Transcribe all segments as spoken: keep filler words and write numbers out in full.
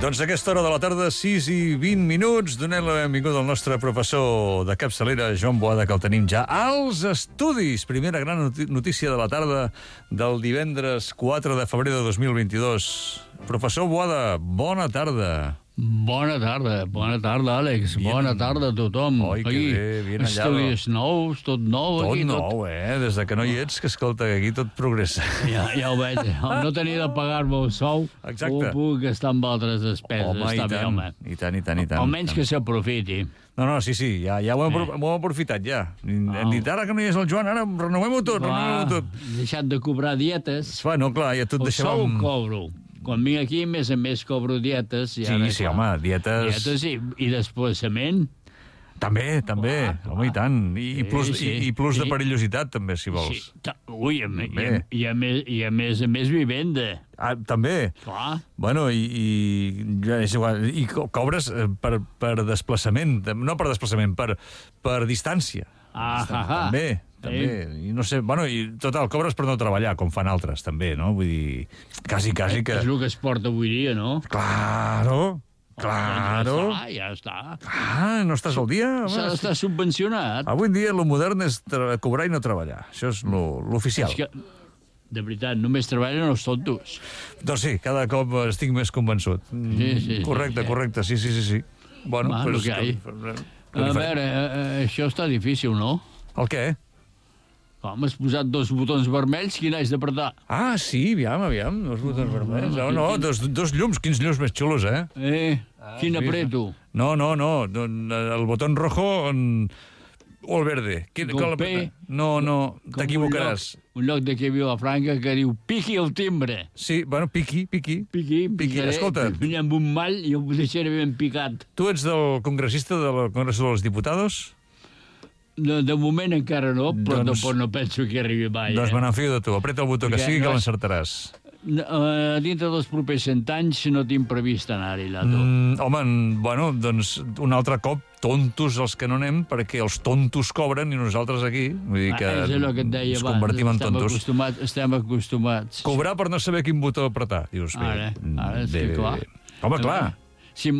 Doncs a aquesta hora de la tarda, sis i vint minuts, donem la benvinguda al nostre professor de capçalera, Joan Boada, que el tenim ja als estudis. Primera gran notícia de la tarda del divendres quatre de febrer de dos mil vint-i-dos. Professor Boada, bona tarda. Bona tarda, bona tarda, Àlex. Bien. Bona tarda a tothom. Oi, que bé, ben allà. Estudis nous, tot nou. Tot aquí, nou, tot... eh? Des de que no hi ets, que escolta, que aquí tot progressa. Ja, ja ho veig. No tenia de pagar-me el sou, exacte. Ho puc gastar amb altres despeses. Home, Està i bé, tant, home. i tant, i tant, i tant. Almenys que s'aprofiti. No, no, sí, sí, ja, ja ho hem, eh. hem aprofitat, ja. Hem oh. dit, ara que no hi és el Joan, ara renovem-ho tot, renovem-ho tot. Deixat de cobrar dietes. Va, no, clar, ja tot el deixàvem... El sou cobro. Quan vinc aquí, a més a més, cobro dietes. I sí, ara, sí, clar, home, dietes... Dietes i, i desplaçament. També, també, clar, clar. Home, i tant. I, sí, plus, sí. i, i plus sí. de perillositat, també, si vols. Sí. Ui, a, i, a, i, a més, i a més a més vivenda. Ah, també? Clar. Bueno, i, i, és igual, i cobres per, per desplaçament, no per desplaçament, per, per distància. Ah, ah, ah. També. També, i no sé, bueno, i total, cobres per no treballar, com fan altres, també, no? Vull dir, quasi, quasi que... És el que es porta avui dia, no? Claro, claro. Ja està, ja està. Ah, no estàs al dia? S'ha d'estar subvencionat. Avui en dia, lo modern és cobrar i no treballar. Això és l'oficial. És que, de veritat, només treballen els tontos. Doncs sí, cada cop estic més convençut. Sí, sí. Correcte, sí, correcte, sí, sí, sí. sí. Bueno, Va, pues, que hi ha. A veure, això està difícil, no? El què? Com, has posat dos botons vermells, quin has d'apretar? Ah, sí, aviam, aviam, dos botons vermells. No, no, dos, dos llums, quins llums més xulos, eh? Eh, ah, quin sí, apreto? No, no, no, el botó rojo on... o el verde. Quin, Golpe. No, no, t'equivocaràs. Un, un lloc d'aquí a Vilafranca que diu piqui el timbre. Sí, bueno, piqui, piqui. Piqui, piqui. Escolta. Venia amb un mall i ho deixaré ben picat. Tu ets del congressista del Congreso de los Diputados? De, de moment encara no, però doncs, no, no penso que arribi mai. Doncs me n'enfio de tu. Apreta el botó que sigui, que l'encertaràs. Uh, dintre dels propers cent anys no tinc previst anar-hi, Lato. Mm, home, bueno, doncs un altre cop tontos els que no anem, perquè els tontos cobren i nosaltres aquí. Vull dir que, ah, és el que et deia ens abans. Convertim en estem tontos. Acostumats, estem acostumats. Cobrar per no saber quin botó apretar. Dius, bé, ara, ara, bé, sí, bé, clar. Bé. Home, clar. Si,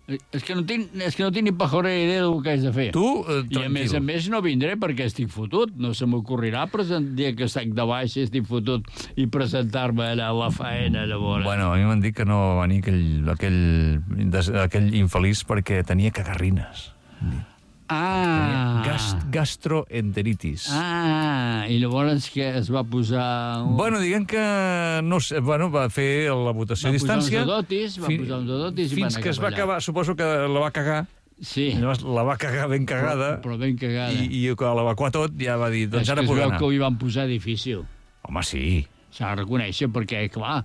és que no tinc, és que no tinc ni pajorera idea del que haig de fer. Tu, eh, tranquil. I a més a més no vindré perquè estic fotut. No se m'ocorrirà present dia que estic de baix i estic fotut i presentar-me a la faena, llavors. Bueno, a mi m'han dit que no va venir aquell, aquell, aquell infeliç perquè tenia cagarrines. Ah! Gast, gastroenteritis. Ah, i llavors que es va posar... Un... Bueno, diguem que no sé, bueno, va fer la votació a distància. Va posar uns dotis, va posar uns dotis i fins que es va acabar, suposo que la va cagar. Sí. Llavors la va cagar ben cagada. Però, però ben cagada. I, i quan l'evacuar tot ja va dir, doncs és ara puc anar. És que ho hi van posar difícil. Home, sí. S'ha de reconèixer perquè, clar,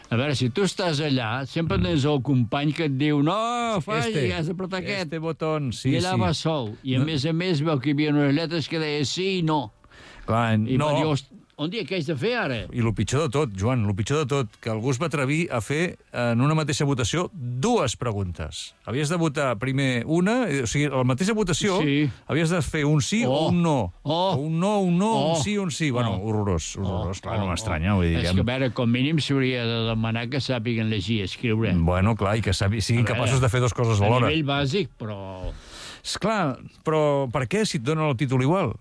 a veure, si tu estàs allà, sempre tens el company que et diu no, faci, este, has d'apretar aquest. Este botón, sí, I allà sí. va sol. I a no. més a més veu que hi havia unes lletres que deia sí i no. Clar, I no. va dir, on dia què haig de fer ara? I el pitjor de tot, Joan, el pitjor de tot, que algú es va atrevir a fer en una mateixa votació dues preguntes. Havies de votar primer una, o sigui, a la mateixa votació sí. havies de fer un sí oh. o un no. Oh. Un no, un no, oh. un sí, un sí. Bueno, oh. horrorós, horrorós. Oh. Clar, no m'estranya. Oh. Vull dir, és que, a veure, com mínim s'hauria de demanar que sàpiguen llegir i escriure. Bueno, clar, i que siguin veure, capaços de fer dues coses alhora. A nivell bàsic, però... Esclar, però per què si et donen el títol igual?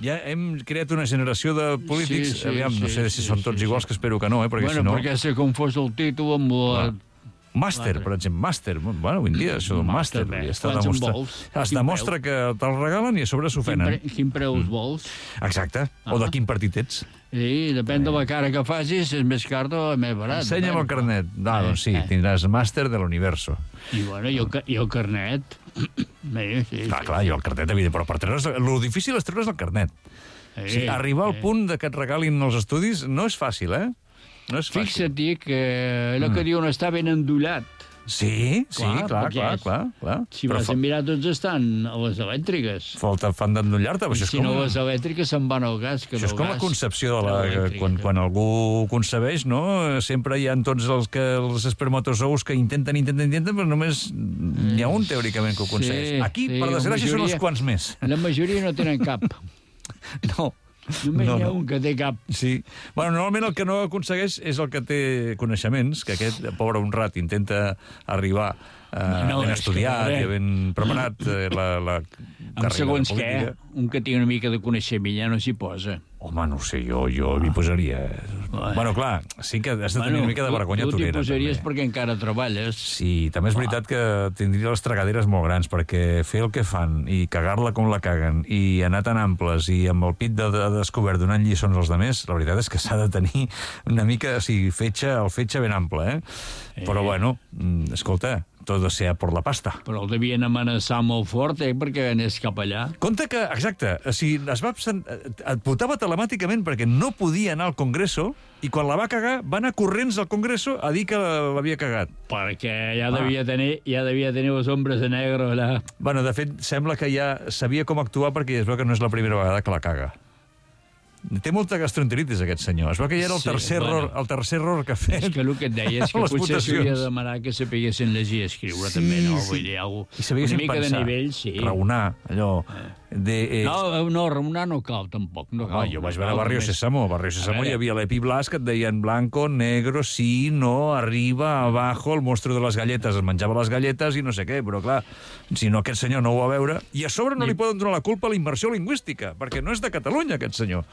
Ja hem creat una generació de polítics, sí, sí, aviam, no sé sí, si són tots sí, iguals, sí. que espero que no, eh, perquè bueno, si no... perquè s'ha confós el títol amb la... Màster, per exemple, màster. Bueno, avui en dia, això del màster. Quants en vols? Es demostra que te'l regalen i a sobre s'ofenen. Quin, pre quin preu els vols? Exacte. Ah. O de quin partit ets. Sí, depèn de la cara que facis, és més car o més barat. Ensenya'm el carnet. Ah, doncs sí, tindràs màster de l'universo. I bueno, i el, i el carnet... Bé, sí, clar, sí. clar, i el carnet, evident, però per treure's... El difícil és treure's el carnet. Sí, sí, arribar al sí. punt de que et regalin els estudis no és fàcil, eh? No és fàcil. Fixa't que allò que mm. diuen està ben endollat. Sí, sí, clar, clar, clar, clar, clar. Si vas a mirar, tots estan a les elèctriques. Falta fan d'endollar-te. Si no, les elèctriques se'n van al gas. Que això és com gas, la concepció de la... Quan, quan algú concebeix, no? Sempre hi ha tots els, que, els espermatozous que intenten, intenten, intenten, però només hi ha un, teòricament, que ho concebeix. Sí, Aquí, sí, per desgràcia, són uns quants més. La majoria no tenen cap. No. Només No, n'hi ha no. un que té cap. Sí. Bueno, normalment el que no aconsegueix és el que té coneixements, que aquest, pobre honrat, intenta arribar eh, No, ben és que, estudiat a i veure, ben preparat eh, la, la Amb carrera segons de què, política. un que tingui una mica de coneixement ja no s'hi posa. Home, no ho sé, jo, jo m'hi posaria. Bueno, clar, sí que has de tenir una mica de vergonya tu t'hi torera. posaries també. perquè encara treballes. Sí, també és veritat que tindria les tragaderes molt grans, perquè fer el que fan i cagar-la com la caguen i anar tan amples i amb el pit de, de descobert donant lliçons als demés, la veritat és que s'ha de tenir una mica, o sigui, fetge, el fetge ben ample, eh? eh? Però, bueno, escolta, tot sea por la pasta. Però el devien amenaçar molt fort, eh, perquè anés cap allà. Compte que, exacte, o sigui, es va, et votava telemàticament perquè no podia anar al Congreso i quan la va cagar va anar corrents al Congreso a dir que l'havia cagat. Perquè ja Ah. devia tenir ja devia tenir les ombres de negre allà. Bueno, de fet, sembla que ja sabia com actuar perquè es veu que no és la primera vegada que la caga. Té molta gastroenteritis, aquest senyor. Es veu que ja era el Sí, tercer, bueno. error, el tercer error que ha fet. És que el que et deia és que Les potser votacions. s'hauria de demanar que sapiguessin llegir i escriure, Sí, també, no? sí. Vull dir, algú, I sabiguessin una mica pensar, de nivell, sí. raonar, allò... De, eh, No, no, raonar no cal, tampoc. No cal, Home, jo vaig no veure cal, Barrio només- Sésamo. Barrio Sésamo veure. hi havia l'Epi Blas que et deien blanco, negro, sí, no, arriba, abajo, el monstru de les galletes. Es menjava les galletes i no sé què, però clar, si no aquest senyor no ho va veure... I a sobre no li poden donar la culpa a la immersió lingüística, perquè no és de Catalunya, aquest senyor.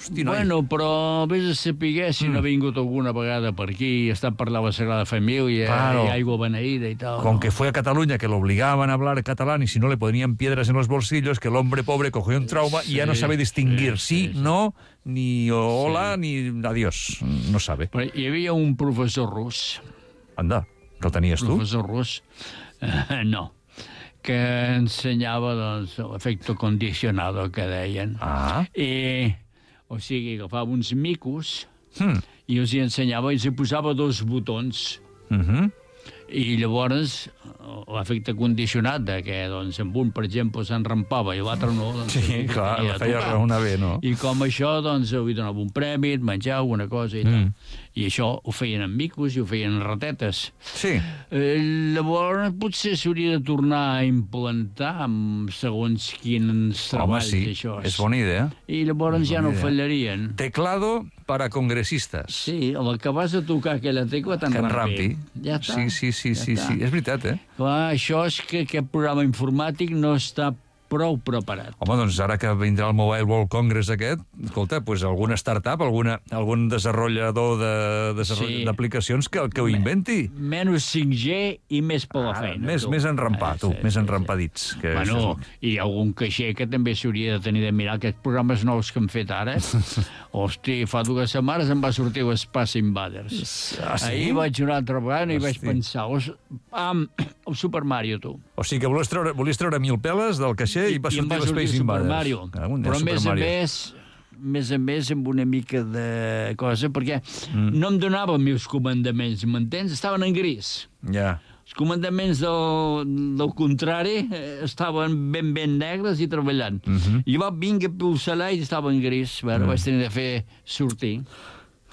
Hosti, noi. Bueno, però vés a saber si Mm. no ha vingut alguna vegada per aquí, ha estat parlant la Sagrada Família, Claro. i aigua beneïda i tal. Con no? que fue a Cataluña, que lo obligaban a hablar catalán y si no le ponían piedras en los bolsillos, que el hombre pobre cogió un trauma y ya no Sí, sabe distinguir sí, sí, sí. no, ni hola, ni adiós. No sabe. Però hi havia un professor rus, Anda, que el tenies tu? professor rus, eh, no, que ensenyava doncs, l'efecte condicionado, que deien. Ah. I, o sigui, agafava uns micos Hmm. i els hi ensenyava i els hi posava dos botons. Mhm. I llavors l'efecte condicionat de que doncs, amb un, per exemple, s'enrampava i l'altre no... Doncs, Sí, clar, havia la de feia tocar. raonar bé, no? I com això, doncs, li donava un premi, et menjava alguna cosa i tal. Mm. I això ho feien amb micos i ho feien en ratetes. Sí. Eh, llavors, potser s'hauria de tornar a implantar amb segons quins Home, treballs, sí, això. és bona idea. I llavors ja no idea. fallarien. Teclado para congresistas. Sí, el que vas a tocar aquella tecla Que en rampi. t'enrampi. Ja està. Sí, sí, sí, Ja sí, està. sí. És veritat, eh? Clar, això és que aquest programa informàtic no està prou preparat. Home, doncs ara que vindrà el Mobile World Congress aquest, escolta, pues alguna startup, alguna, algun desenvolupador de, de, Sí. d'aplicacions que, que ho inventi. Menys cinc G i més per la Ah, feina. més, tu. més enrampar, Eh, tu, sí, més sí, enrampadits. Que Bueno, això hi ha algun caixer que també s'hauria de tenir de mirar aquests programes nous que han fet ara. Hosti, fa dues setmanes em va sortir l'Space Invaders. és... Ah, sí? Ahir vaig una altra vegada i vaig Hosti. pensar, os, am, el Super Mario, tu. O sigui que volies treure, volies treure mil peles del caixer i, va I em sortir va sortir l'Space Super Invaders. Mario. Cago en Déu, Però a Super més a Mario. més, més a més amb una mica de cosa, perquè mm. no em donava els meus comandaments, m'entens? Estaven en gris. Ja. Els comandaments del, del contrari eh, estaven ben ben negres i treballant. Mhm. Mm. I va vinga a pulsar i estava en gris. Bueno, vaig tenir de fer sortir.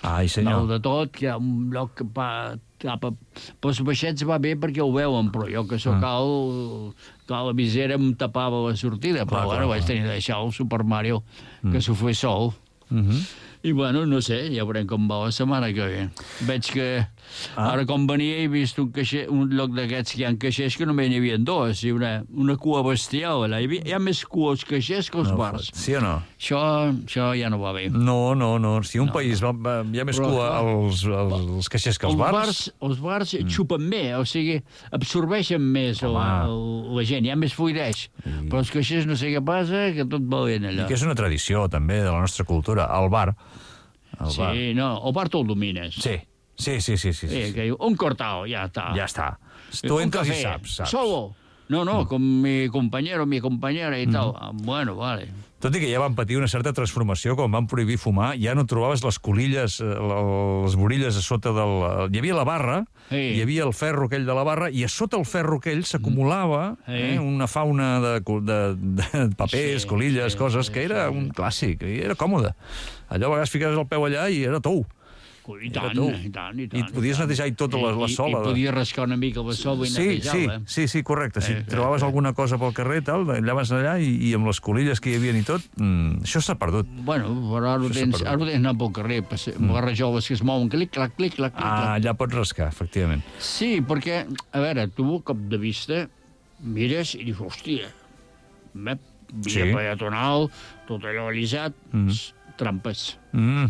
Ai, senyor. Dalt de tot, que hi ha un lloc que pa, cap a... Però els baixets va bé perquè ho veuen, però jo que sóc alt, clar, la visera em tapava la sortida, però Clar, bueno, clar, vaig clar. tenir de deixar el Super Mario, que s'ho fes sol. Mhm. I bueno, no sé, ja veurem com va la setmana que ve. Veig que Ah. ara com venia he vist un, caixer, un lloc d'aquests que hi ha caixers que només n'hi havia dos, i una, una cua bestial allà. Hi, havia, hi ha més cua als caixers que als No, bars. sí o no? Això, això ja no va bé. No, no, no. Si un no, país va, va, hi ha més Però, cua clar, als, als caixers que als els bars... bars, els bars mm. xupen bé, o sigui, absorbeixen més el, Home. el, la gent, hi ha més fluideix. Mm. Però els caixers no sé què passa, que tot va bé I allò. que és una tradició, també, de la nostra cultura. El bar. El Sí, bar. no, el bar tu el domines. Sí, sí, sí, sí. sí, Sí, sí. que diu, un cortao, ja està. Ja està. Tu Un entres i café, saps, saps. Solo. No, no, com mi compañero, mi compañera i tal. Ah, Bueno, vale. Tot i que ja van patir una certa transformació quan van prohibir fumar, ja no trobaves les colilles, eh, les borilles a sota del... Hi havia la barra, Sí. hi havia el ferro aquell de la barra, i a sota el ferro aquell s'acumulava Sí. eh, una fauna de, de, de papers, Sí, colilles, sí, coses, sí, que era sí. un clàssic, i era còmode. Allò a vegades ficaves el peu allà i era tou. I tant, i tant, i tant. I et podies netejar i tota la, la sola. I, i podies rascar una mica la sola i sí, netejar-la. Sí, sí, sí, correcte. Si eh, trobaves eh, alguna cosa pel carrer, tal, allà vas allà i, i amb les colilles que hi havia i tot, mm, això s'ha perdut. Bueno, però ara ho tens, ara ho tens anar pel carrer, mm. les rajoles que es mouen, clic, clac, clic, clac, clic. Ah, allà pots rascar, efectivament. Sí, perquè, a veure, tu, a cop de vista, mires i dius, hòstia, via sí. peatonal, tot allò alisat, mm. trampes. Mm.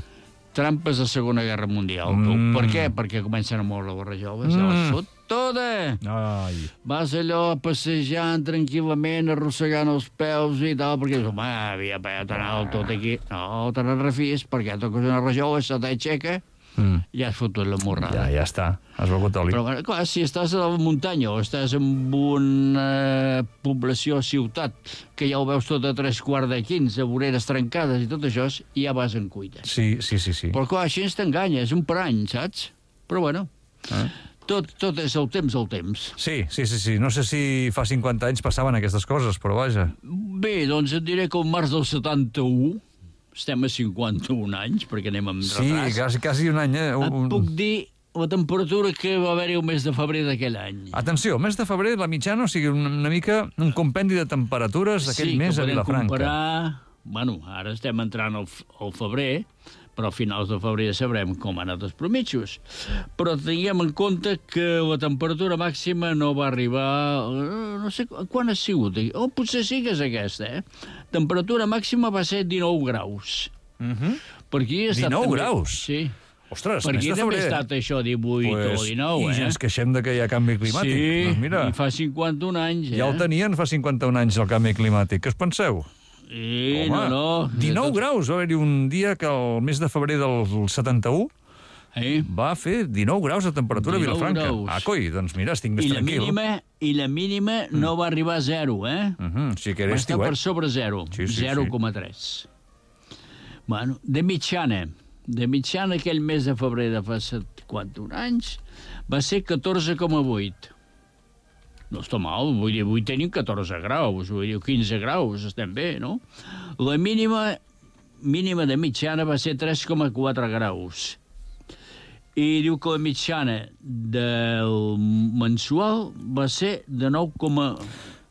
Trampes de Segona Guerra Mundial. Mm. Per què? Perquè comencen a moure les rajoles, mm. les fot tota. Ai. Vas allò passejant tranquil·lament, arrossegant els peus i tal, perquè dius, home, havia peatonal tot aquí. No, te ne refis, perquè toques una rajola, se t'aixeca, mm. ja has fotut la morrada. Ja, ja està, has begut oli. Però, clar, si estàs a la muntanya o estàs en una població, ciutat, que ja ho veus tot a tres quarts de quinze, voreres trencades i tot això, ja vas en cuita. Sí, sí, sí. sí. Però, clar, així ens t'enganyes, un parany, saps? Però, bueno, eh? tot, tot és el temps, el temps. Sí, sí, sí, sí. No sé si fa cinquanta anys passaven aquestes coses, però vaja. Bé, doncs et diré que el març del setanta-u, estem a cinquanta-un anys, perquè anem amb sí, retras. Sí, quasi, quasi un any, eh? Un... Et puc dir la temperatura que va haver-hi el mes de febrer d'aquell any. Atenció, el mes de febrer, la mitjana, o sigui, una, una mica un compendi de temperatures d'aquell sí, mes a Vilafranca. Sí, que podem comparar... Bueno, ara estem entrant al, al febrer, però a finals de febrer ja sabrem com han anat els promitjos. Però tinguem en compte que la temperatura màxima no va arribar... No sé quan ha sigut. O potser sí que és aquesta, eh? Temperatura màxima va ser dinou graus. Uh-huh. Per aquí ha estat dinou també... graus? Sí. Ostres, per aquí també ha estat això divuit pues, o dinou, i eh? I ja ens queixem de que hi ha canvi climàtic. Sí, doncs mira, i fa cinquanta-un anys, eh? Ja el tenien fa cinquanta-un anys, el canvi climàtic. Què us penseu? Sí, home, no, no. dinou graus, va haver-hi un dia que el mes de febrer del setanta-u eh? va fer dinou graus de temperatura a Vilafranca. Graus. Ah, coi, doncs mira, estic més I tranquil. La mínima, I la mínima mm. no va arribar a zero, eh? Uh-huh. Sí que era va estar estiuet. per sobre zero, sí, sí, zero coma tres. Sí. Bueno, de mitjana, de mitjana aquell mes de febrer de fa cinquanta-un anys va ser catorze coma vuit. No està mal, vull dir, avui tenim catorze graus, vull dir, quinze graus, estem bé, no? La mínima, mínima de mitjana va ser tres coma quatre graus. I diu que la mitjana del mensual va ser de nou coma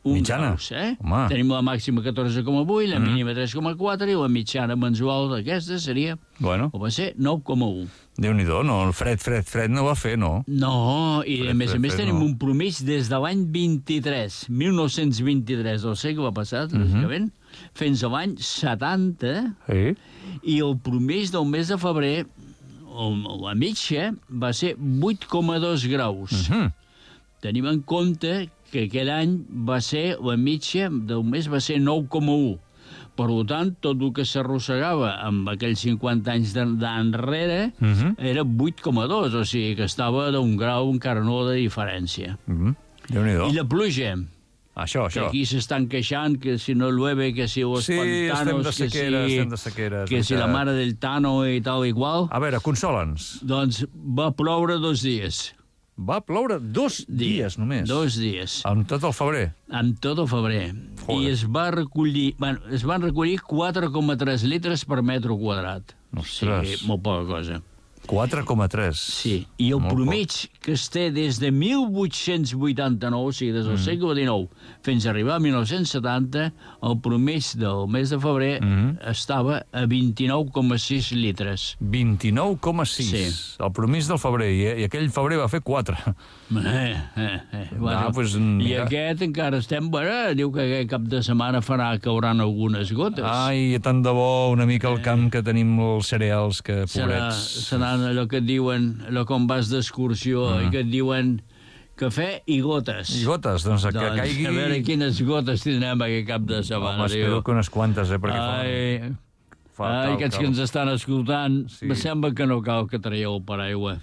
un graus, eh? Home. Tenim la màxima catorze coma vuit, la mm. mínima tres coma quatre i la mitjana mensual d'aquesta seria, bueno. o va ser nou coma un. Déu-n'hi-do, no? El fred, fred, fred no va fer, no? No, i fred, a més fred, a més fred, tenim no. un promís des de l'any vint-i-tres, mil nou-cents vint-i-tres, del segle passat, bàsicament, mm-hmm. fins a l'any setanta, sí. i el promís del mes de febrer, la mitja, va ser vuit coma dos graus. Mm-hmm. Tenim en compte que aquell any va ser, la mitja del mes va ser nou coma un. Per tant, tot el que s'arrossegava amb aquells cinquanta anys d'enrere uh-huh. era vuit coma dos, o sigui que estava d'un grau encara no de diferència. Uh-huh. Déu-n'hi-do. I la pluja. Això, això. Que aquí s'estan queixant que si no llueve, que si los sí, pantanos, estem de sequera, que si, estem de sequera, que si la mare del Tano i tal i qual. A veure, consola'ns. Doncs va ploure dos dies. Va ploure dos dies, només. Dos dies. Amb tot el febrer. Amb tot el febrer. Joder. I es va recollir, bueno, es van recollir quatre coma tres litres per metre quadrat. Ostres. Sí, molt poca cosa. quatre coma tres. Sí, i el molt promig poc. Que es té des de mil vuit-cents vuitanta-nou, o sigui, des del mm. segle dinou, fins a arribar a mil nou-cents setanta, el promig del mes de febrer mm. estava a vint-i-nou coma sis litres. vint-i-nou coma sis. Sí. El promig del febrer, i, i aquell febrer va fer quatre. Eh, eh, eh. Bueno, no, pues, I aquest encara estem... Bueno, diu que aquest cap de setmana farà cauran algunes gotes. Ai, tant de bo, una mica al camp que tenim els cereals, que pobrets... Serà, seran allò que et diuen, allò com vas d'excursió, mm. i que et diuen cafè i gotes. I gotes, doncs, doncs que caigui... A veure quines gotes tindrem aquest cap de setmana. Home, espero que unes quantes, eh, perquè Ai, fa... Ai, aquests cal. Que ens estan escoltant, sí. Me sembla que no cal que traieu el paraigua.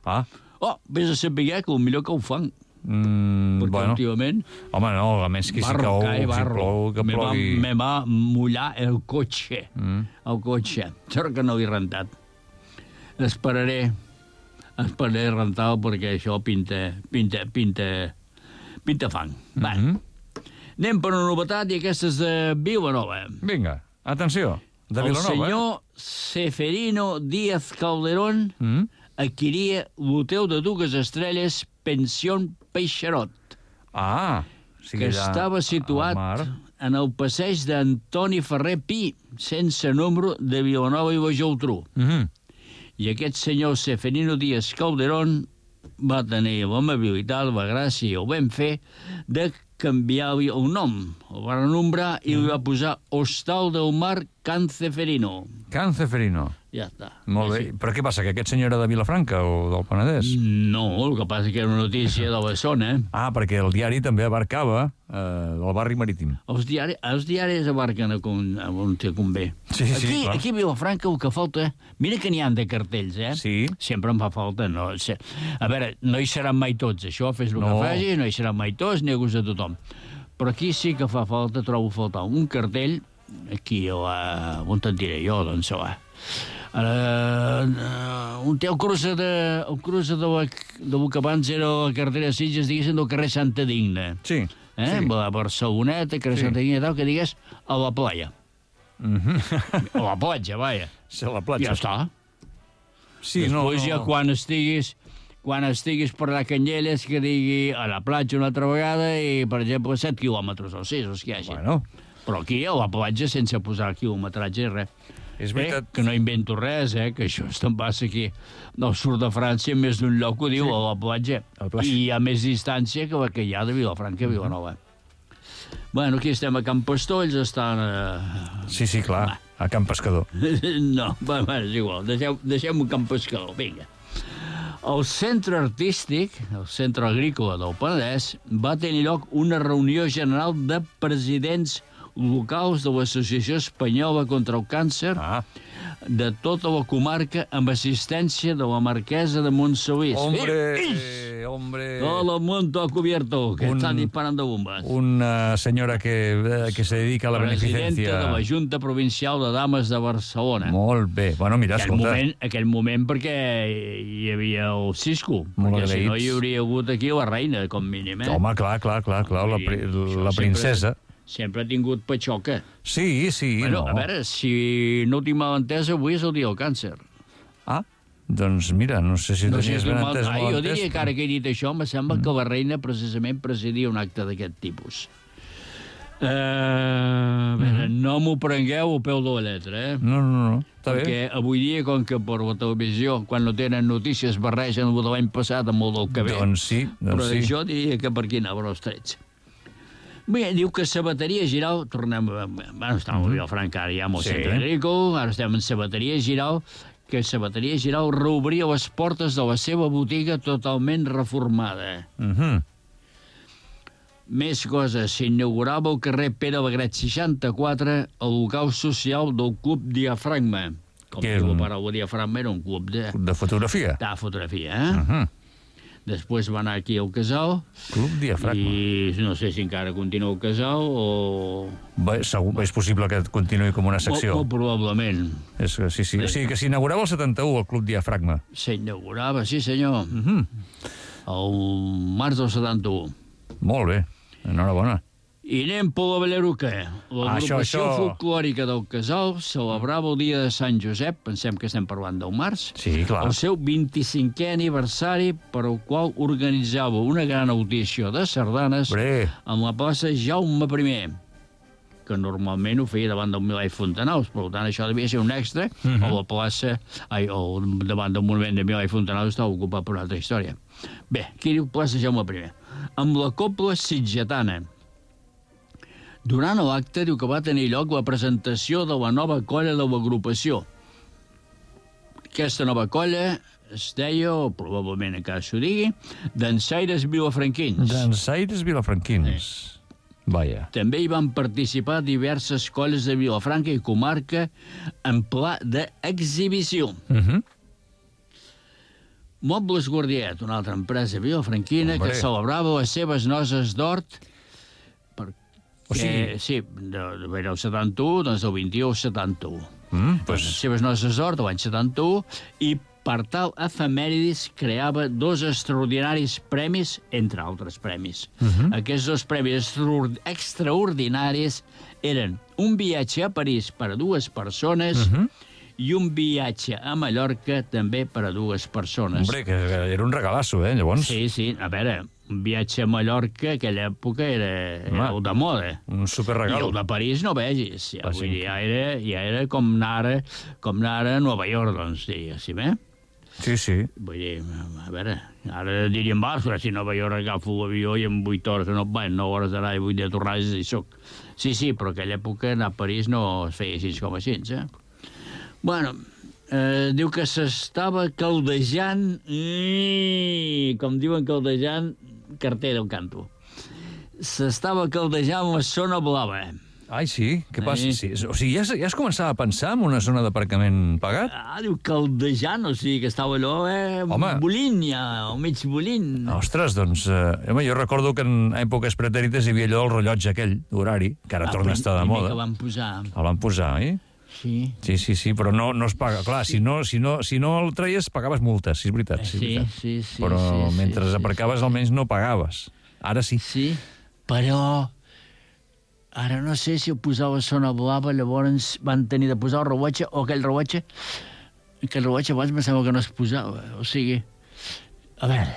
Ah? Oh, vés a saber que el millor que ho fan. Mm, perquè bueno. últimament... Home, no, a més que si cau, si plou, que me plogui... Va, me va mullar el cotxe. Mm. El cotxe. Sort que no l'he rentat. Esperaré, esperaré rentar-lo perquè això pinta, pinta, pinta, pinta fang. Va, mm-hmm. Anem per una novetat i aquesta és de Vilanova. Vinga, atenció. De el Vilanova, senyor Seferino Díaz Calderón eh? Mm? adquiria l'hotel de dues estrelles Pensión Peixarot, Ah, o sigui, que allà estava situat al mar. en el passeig d'Antoni Ferrer Pi, sense número, de Vilanova i la Geltrú. Mhm. I aquest senyor Seferino Díaz Calderón va tenir l'amabilitat, la gràcia i el ben fer de canviar-li el nom. El va renombrar i li va posar Hostal del Mar Can Ceferino. Can Ceferino. Ja està. Molt bé. Sí. Però què passa, que aquest senyor era de Vilafranca o del Penedès? No, el que passa és que era una notícia de la zona. Ah, perquè el diari també abarcava eh, el barri marítim. Els diaris, els diaris abarquen a on, a on te convé. Sí, sí, aquí, clar. aquí a Vilafranca el que falta... Mira que n'hi ha de cartells, eh? Sí. Sempre em fa falta. No, se- a veure, no hi seran mai tots, això, fes el No. que facis, no hi seran mai tots, ni a gust de tothom. Però aquí sí que fa falta, trobo a faltar un cartell, aquí, a la... on te'n diré jo, doncs, va. Uh, un té el cruce de, el cruce de, la, de lo que abans era la carretera de Sitges, diguéssim, del carrer Santa Digna. Sí. Eh? sí. A Barceloneta, carrer Sí. Santa Digna i tal, que digues a la playa. Mhm. A la platja, vaja. Sí, a la platja. Ja està. Sí, no, Després no. ja quan estiguis quan estiguis per la Canyelles que digui a la platja una altra vegada i, per exemple, set quilòmetres o sis, els que hi hagi. Bueno, Però aquí a la platja sense posar quilometratge res. és Eh? veritat. Que no invento res, eh? Que això te'n passa aquí al sud de França, més d'un lloc ho diu, Sí. a la platja. A la platja. I hi ha més distància que la que hi ha de Vilafranca a Vilanova. Bueno, aquí estem a Can Pastolls, estan... Eh... Sí, sí, clar, a Can Pescador. No, va, va, és igual, deixem, deixem un camp pescador, vinga. Al centre artístic, el centre agrícola del Penedès, va tenir lloc una reunió general de presidents locals de l'Associació Espanyola contra el Càncer Ah, de tota la comarca amb assistència de la marquesa de Montsalís. hombre, Eh, hombre... Todo el mundo cubierto, que Un- están disparando bombas. Una senyora que, eh, que se dedica a la Presidenta beneficencia. de la Junta Provincial de Dames de Barcelona. Molt bé. Bueno, mira, Aquell escolta... moment, aquell moment perquè hi havia el Cisco, Molt perquè si no agraïts. hi hauria hagut aquí la reina, com mínim, eh? Home, clar, clar, clar, clar la, pri Això la princesa. Sempre, sempre ha tingut patxoca. Sí, sí, Bueno, no. a veure, si no ho tinc mal entès, avui és el dia del càncer. Ah, doncs mira, no sé si No no sé tenies si ben mal... entès o ah, mal jo entès. diria que ara que he dit això, em sembla que la reina precisament presidia un acte d'aquest tipus. Uh, a veure, no m'ho prengueu al peu de la lletra, eh? No, no, no, està bé. Perquè avui dia, com que per la televisió, quan no tenen notícies, barregen el de l'any passat amb el del que ve. Doncs sí, doncs Però sí. jo diria que per aquí anaven els trets. Bé, diu que Sabateria Giral, tornem a... Bueno, estàvem a Vilafranca, ara ja amb el Sí. centre agrícola, ara estem en Sabateria Giral, que Sabateria Giral reobria les portes de la seva botiga totalment reformada. Mhm. Més coses, s'inaugurava al carrer Pere Bagret seixanta-quatre el local social del Club Diafragma. Com Que diu era un- la paraula diafragma, era un club de, De fotografia. de fotografia, eh? Mhm. Després va anar aquí al casal Club Diafragma. i no sé si encara continua el casal o... Bé, segur, és possible que continuï com una secció. Molt, molt probablement. És, que sí, sí. O sigui que s'inaugurava el setanta-u, el Club Diafragma. S'inaugurava, sí senyor, Mhm. el març del setanta-u. Molt bé, enhorabona. I anem per la Balleruca. Ah, això, L'agrupació això. folclòrica del Casal celebrava el dia de Sant Josep, pensem que estem parlant del març, Sí, clar. el seu vint-i-cinquè aniversari, per al qual organitzava una gran audició de sardanes Bé, amb la plaça Jaume primer, que normalment ho feia davant del Milà i Fontanals, per tant això devia ser un extra, Mhm. o la plaça, ai, o davant del monument de Milà i Fontanals estava ocupat per una altra història. Bé, aquí diu plaça Jaume primer. Amb la cobla sitgetana. Durant l'acte diu que va tenir lloc la presentació de la nova colla de l'agrupació. Aquesta nova colla es deia, o probablement encara s'ho digui, dansaires vilafranquins. dansaires vilafranquins. Vaja. També hi van participar diverses colles de Vilafranca i comarca en pla d'exhibició. Mhm. Mobles Guardiet, una altra empresa vilafranquina Hombre. que celebrava les seves noces d'hort perquè, O sigui- sí, de, de, era el setanta-u, doncs del vint-i-u al setanta-u. Mm, Pues... Les pues, seves noces d'hort de l'any setanta-u i per tal efemèridis creava dos extraordinaris premis, entre altres premis. Uh -huh. Aquests dos premis extraordinaris eren un viatge a París per a dues persones uh -huh. i un viatge a Mallorca també per a dues persones. Hombre, que era un regalasso, eh, llavors? Sí, sí, a veure, un viatge a Mallorca, a aquella època, era, era el de moda. Un superregal. I el de París no vegis. Ja, Ah, vull sí. dir, ja, era, ja era com anar, com anar a Nova York, doncs, diguéssim, eh? Sí, sí. Vull dir, a veure, ara diríem, va, si a Nova York agafo l'avió i en vuit hores, no, bé, nou hores d'anar i vuit de tornar i hi soc. Sí, sí, però aquella època anar a París no es feia així com així, eh? Bueno, eh, diu que s'estava caldejant, i, com diuen caldejant, carter del canto. S'estava caldejant la zona blava. Ai, sí? Què passa? Sí. Sí. O sigui, ja, es- ja es començava a pensar en una zona d'aparcament pagat? Ah, diu caldejant, o sigui que estava allò, eh, Home. bolint ja, o mig bolint. Ostres, doncs, eh, home, jo recordo que en èpoques pretèrites hi havia allò del rellotge aquell, horari, que ara Ah, torna a estar de primer moda. que van posar. El van posar, oi? Sí. Sí, sí, sí, però no, no es paga. Clar, si no, si, no, si no el traies, pagaves multes, sí, és veritat. Sí, és Sí, veritat. sí, sí. Però sí, mentre sí, aparcaves sí. almenys no pagaves. Ara sí. Sí, però ara no sé si ho posava a zona blava, llavors van tenir de posar el rellotge, o aquell rellotge, que el rellotge abans me sembla que no es posava. O sigui, a veure...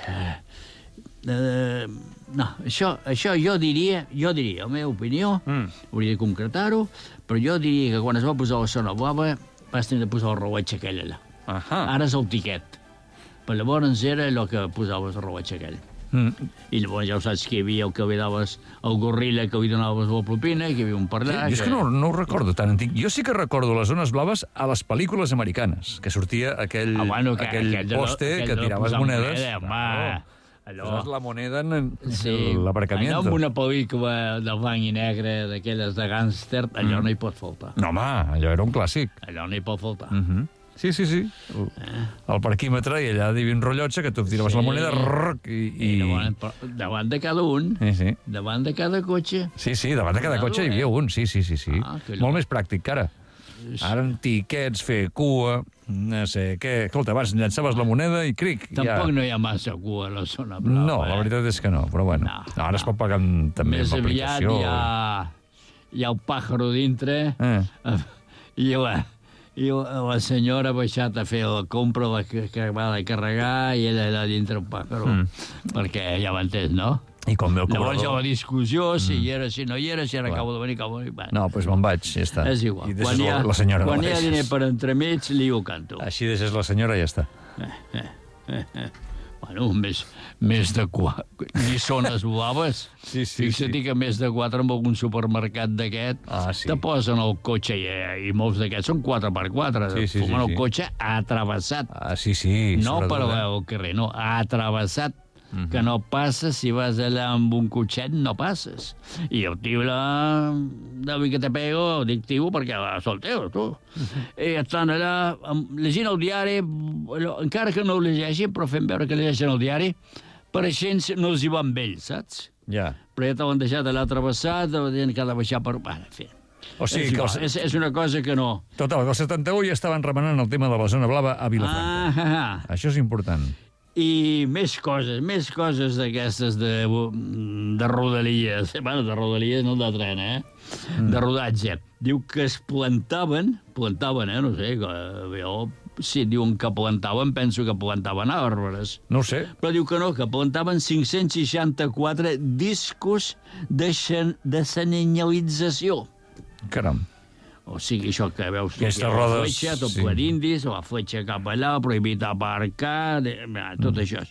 Eh, eh, no, això, això jo diria, jo diria, la meva opinió, Mm. hauria de concretar-ho, però jo diria que quan es va posar la zona blava vas tenir de posar el rellotge aquell allà. Ahà. Ara és el tiquet. Però llavors era allò que posaves el rellotge aquell. Mm. I llavors ja ho saps que hi havia el que li daves, el gorrilla que li donaves la propina, que hi havia un per Sí, allà... jo és que no, no ho recordo tan antic. Jo sí que recordo les zones blaves a les pel·lícules americanes, que sortia aquell, Ah, bueno, que, aquell aquell de no- poste aquell que de tiraves posar monedes. moneda, home. Allò... Poses la moneda en Sí, l'aparcamiento. allò amb una pel·lícula de blanc i negre, d'aquelles de gàngster, allò mm. no hi pot faltar. No, home, allò era un clàssic. Allò no hi pot faltar. Mm -hmm. Sí, sí, sí. El, el parquímetre, i allà hi havia un rellotge que tu tiraves Sí. la moneda rrrc, i... I i... davant, davant de cada un, Sí, sí. davant de cada cotxe. Sí, sí, davant de cada Claro, cotxe hi havia eh? un, sí, sí, sí. sí. Ah, que Molt allò- més pràctic que ara. Ara en tiquets, fer cua, no sé què... Escolta, abans llançaves la moneda i cric, Tampoc ja... no hi ha massa cua a la zona blava. No, la eh? veritat és que no, però bueno. No, No, ara es no. pot pagar amb, també Més amb aviat aplicació. hi ha, hi ha el pàjaro dintre, Eh. i la, i la, la senyora ha baixat a fer la compra, la que, que va de carregar, i ella allà dintre un pàjaro. Mm. Perquè ja m'entens, no? I com ve el Llavors hi ha la cobrador... discussió, si hi era, si no hi era, si ara Clar. acabo de venir, acabo de venir... Bueno, No, doncs me'n vaig, ja està. és igual. I Quan deixes hi ha, la, la senyora. quan la hi ha deixes. diner per entremig, li ho canto. Així deixes la senyora i ja està. Bueno, més, més de quatre... Ni zones blaves. Sí, sí, Fixa't sí. que més de quatre en algun supermercat d'aquest Ah, sí. te posen el cotxe, i, i molts d'aquests són quatre per quatre. Sí, sí, sí, Fumen sí. el cotxe atravessat. Ah, sí, sí. No per sobretot, eh? al carrer, no, atravessat. Mhm. Que no passes, si vas allà amb un cotxet, no passes. I el tio la... Davi que te pego, dic tio perquè va solteu, tu. Mhm. I estan allà amb- llegint el diari, allò, encara que no ho llegeixin, però fent veure que llegeixen el diari, pareixent no els hi va amb ells, saps? Ja. Però ja t'ho deixat allà travessat, dient que ha de baixar per... Bueno, en fi. O sigui és, que... igual, Els... és, és una cosa que no... Total, que el setanta-u ja estaven remenant el tema de la zona blava a Vilafranca. Ah, ah, ah. Això és important. I més coses, més coses d'aquestes de, de rodalies. Bueno, de rodalies, no de tren, eh? Mm. De rodatge. Diu que es plantaven, plantaven, eh? No sé, que, jo, si diuen que plantaven, penso que plantaven arbres. No ho sé. Però diu que no, que plantaven cinc-cents seixanta-quatre discos de, xen, de senyalització. Caram. O sigui, això que veus... Aquestes aquí, rodes, La fletxa, tot sí. ple d'indis, la fletxa cap allà, prohibit aparcar, de, tot mm. això.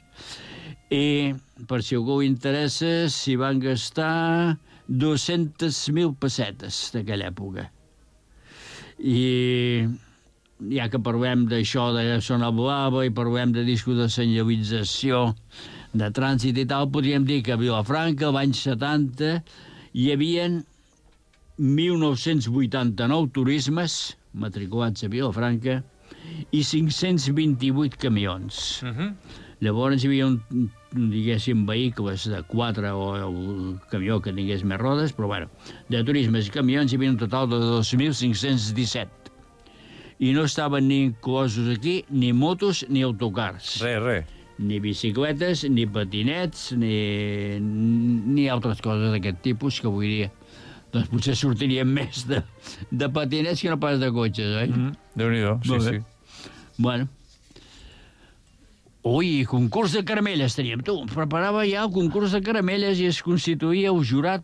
I, per si algú interessa, s'hi van gastar dues-centes mil pessetes d'aquella època. I ja que parlem d'això de zona blava i parlem de discos de senyalització, de trànsit i tal, podríem dir que a Vilafranca, l'any setanta, hi havien mil nou-cents vuitanta-nou turismes matriculats a Vilafranca i cinc-cents vint-i-vuit camions. Uh -huh. Llavors hi havia, un, diguéssim, vehicles de quatre o el camió que tingués més rodes, però bueno, de turismes i camions hi havia un total de dos mil cinc-cents disset. i no estaven ni inclosos aquí ni motos ni autocars. Res, res. Ni bicicletes, ni patinets, ni, ni altres coses d'aquest tipus que avui dia doncs potser sortirien més de, de patinets que no pas de cotxes, oi? Mm, Déu-n'hi-do, sí, sí. Bueno. Ui, concurs de caramelles teníem. Tu, preparava ja el concurs de caramelles i es constituïa el jurat,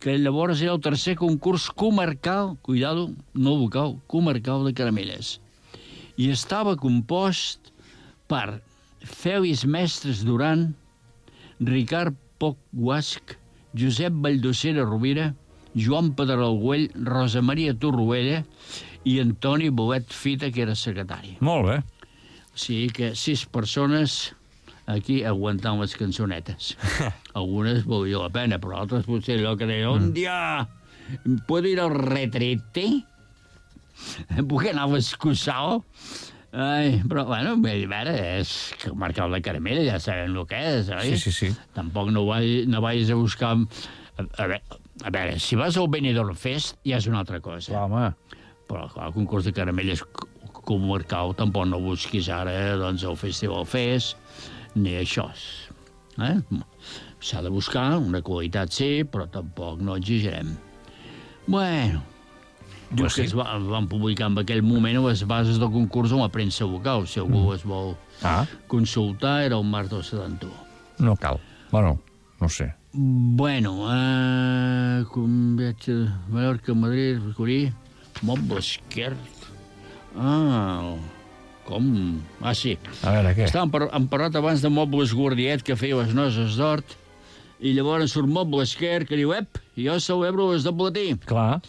que llavors era el tercer concurs comarcal, cuidado, no local, comarcal de caramelles. I estava compost per Fèlix Mestres Duran, Ricard Poch Guasc, Josep Valldocera Rovira, Joan Pedrol Güell, Rosa Maria Torroella i Antoni Bolet Fita, que era secretari. Molt bé. O sigui que sis persones aquí aguantant les cançonetes. Algunes valia la pena, però altres potser allò que deia, un dia, ¿puedo ir al retrete? ¿Puc anar a l'excursal? Ai, però, bueno, a veure, és que marcar la caramella, ja sabem el que és, oi? Sí, sí, sí. Tampoc no, vai, no vagis a buscar... A, a, veure, a veure, si vas al Benidorm Fest ja és una altra cosa. Clar, home. Però, clar, el concurs de caramelles comarcal tampoc no busquis ara doncs, el Festival Fest, ni això. Eh? S'ha de buscar una qualitat, sí, però tampoc no exigirem. Bueno, diu pues que sí. es, va, es van publicar en aquell moment les bases del concurs a la premsa local. Si algú mm. es vol Ah. consultar, era el març del setanta-u. No cal. Bueno, no sé. Bueno, eh, com viatge de Mallorca, Madrid, Corí, Mobles Quer... Ah, com? Ah, sí. A veure, què? Estàvem par hem parlat abans de Mobles Guardiet, que feia les noces d'hort, i llavors surt Mobles Quer, que diu, ep, jo celebro les de platí. Clar.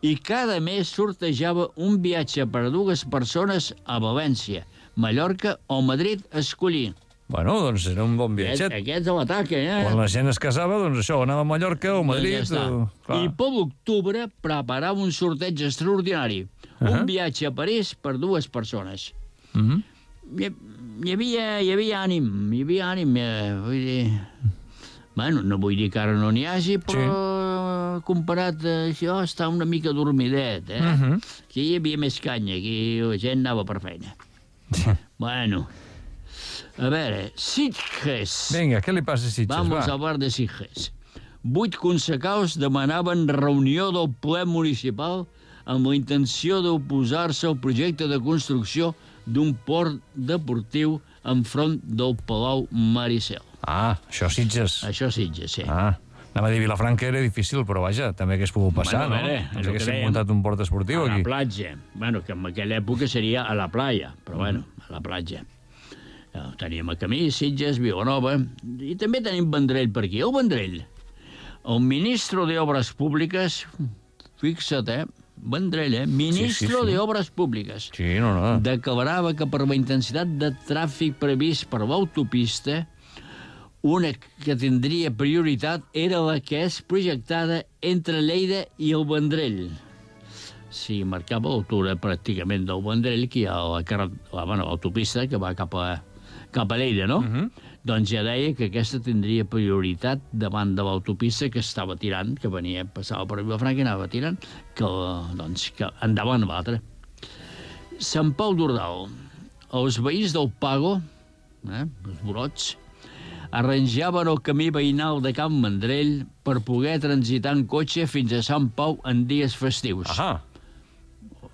I cada mes sortejava un viatge per a dues persones a València, Mallorca o Madrid a escollir. Bueno, doncs era un bon Aquest, viatget. aquest és l'atac, eh? Quan la gent es casava, doncs això, anava a Mallorca o Madrid. Ja o... I per l'octubre preparava un sorteig extraordinari. Uh -huh. Un viatge a París per dues persones. Uh -huh. Hi, hi, havia, hi havia ànim, hi havia ànim, eh, vull dir... Bueno, no vull dir que ara no n'hi hagi, però sí. Comparat a això està una mica dormidet, eh? Uh -huh. Aquí hi havia més canya, aquí la gent anava per feina. Bueno, a veure, Sitges. Vinga, què li passa a Sitges? Vamos va. a hablar de Sitges. Vuit concecaus demanaven reunió del ple municipal amb la intenció d'oposar-se al projecte de construcció d'un port deportiu enfront del Palau Maricel. Ah, això Sitges. Això Sitges, sí. Ah, anava a dir Vilafranca era difícil, però vaja, també hagués pogut passar, Bueno, a no? veure, és Ens el que haguéssim dèiem. muntat un port esportiu A la aquí. platja. Bueno, que en aquella època seria a la playa, però bueno, a la platja. Teníem a Camí, Sitges, Vilanova, i també tenim Vendrell per aquí. El Vendrell, el ministre d'Obres Públiques, fixa't, eh? Vendrell, eh? Ministre Sí, sí, sí. d'Obres Públiques. Sí, no, no. Declarava que per la intensitat de tràfic previst per l'autopista, una que tindria prioritat era la que és projectada entre Lleida i el Vendrell. Sí, marcava l'altura pràcticament del Vendrell, que hi ha la, la, bueno, l'autopista que va cap a, cap a Lleida, no? Uh -huh. Doncs ja deia que aquesta tindria prioritat davant de l'autopista que estava tirant, que venia, passava per Vilafranca i anava tirant, que, doncs, que endavant l'altre. Sant Pau d'Ordal. Els veïns del Pago, eh, els brots, arranjaven el camí veïnal de Can Vendrell per poder transitar en cotxe fins a Sant Pau en dies festius. Ahà.